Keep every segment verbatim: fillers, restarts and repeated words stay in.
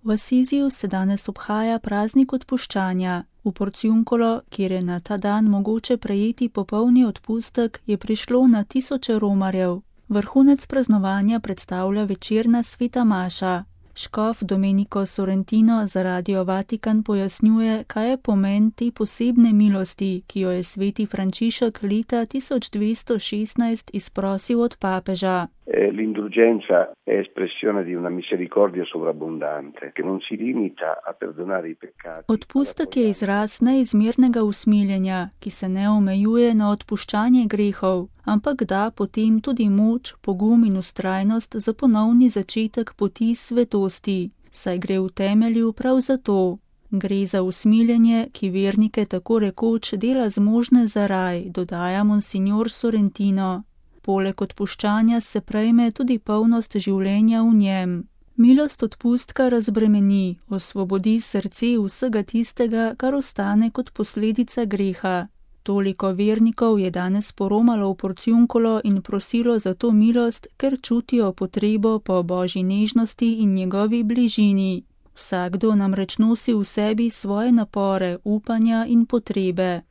V Asiziju se danes obhaja praznik odpuščanja. V Porciuncolo, kjer je na ta dan mogoče prejeti popolni odpustek, je prišlo na tisoče romarjev. Vrhunec praznovanja predstavlja večerna sveta maša. Škof Domenico Sorrentino za Radio Vatikan pojasnjuje, kaj je pomen te posebne milosti, ki jo je sveti Frančišek leta tisoč dvesto šestnajst izprosil od papeža. L'indulgenza è espressione di una misericordia sovrabbondante, che non si limita a perdonare i peccati. Odpustek je izraz neizmernega usmiljenja, ki se ne omejuje na odpuščanje grehov, ampak da potem tudi moč, pogum in ustrajnost za ponovni začetek poti svetosti, saj gre v temelju prav za to. Gre za usmiljenje, ki vernike tako rekoč dela zmožne za raj, dodaja monsignor Sorrentino. Poleg odpuščanja se prejme tudi polnost življenja v njem. Milost odpustka razbremeni, osvobodi srce vsega tistega, kar ostane kot posledica greha. Toliko vernikov je danes poromalo v Porciuncolo in prosilo za to milost, ker čutijo potrebo po božji nežnosti in njegovi bližini. Vsakdo namreč nosi v sebi svoje napore, upanja in potrebe.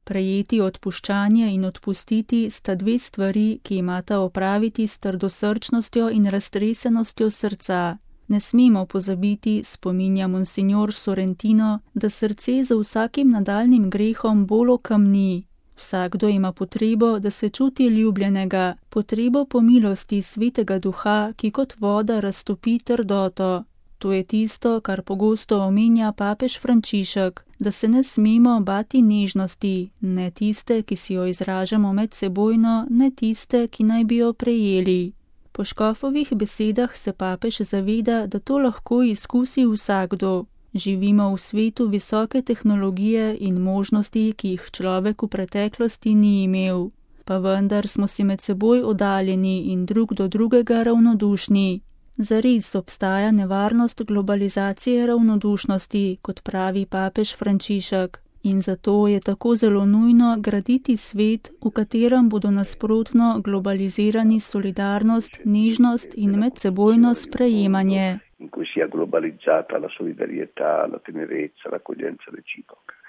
Prejeti odpuščanje in odpustiti sta dve stvari, ki imata opraviti s trdosrčnostjo in raztresenostjo srca. Ne smemo pozabiti, spominja monsignor Sorrentino, da srce za vsakim nadaljnim grehom bolj okamni. Vsakdo ima potrebo, da se čuti ljubljenega, potrebo po milosti svetega duha, ki kot voda raztopi trdoto. To je tisto, kar pogosto omenja papež Frančišek, da se ne smemo bati nežnosti, ne tiste, ki si jo izražamo medsebojno, ne tiste, ki naj bi jo prejeli. Po škofovih besedah se papež zaveda, da to lahko izkusi vsakdo. Živimo v svetu visoke tehnologije in možnosti, ki jih človek v preteklosti ni imel. Pa vendar smo si med seboj oddaljeni in drug do drugega ravnodušni. Zares obstaja nevarnost globalizacije ravnodušnosti, kot pravi papež Frančišek, in zato je tako zelo nujno graditi svet, v katerem bodo nasprotno globalizirani solidarnost, nežnost in medsebojno sprejemanje. In cui sia globalizzata la solidarietà, la tenerezza, l'accoglienza reciproca.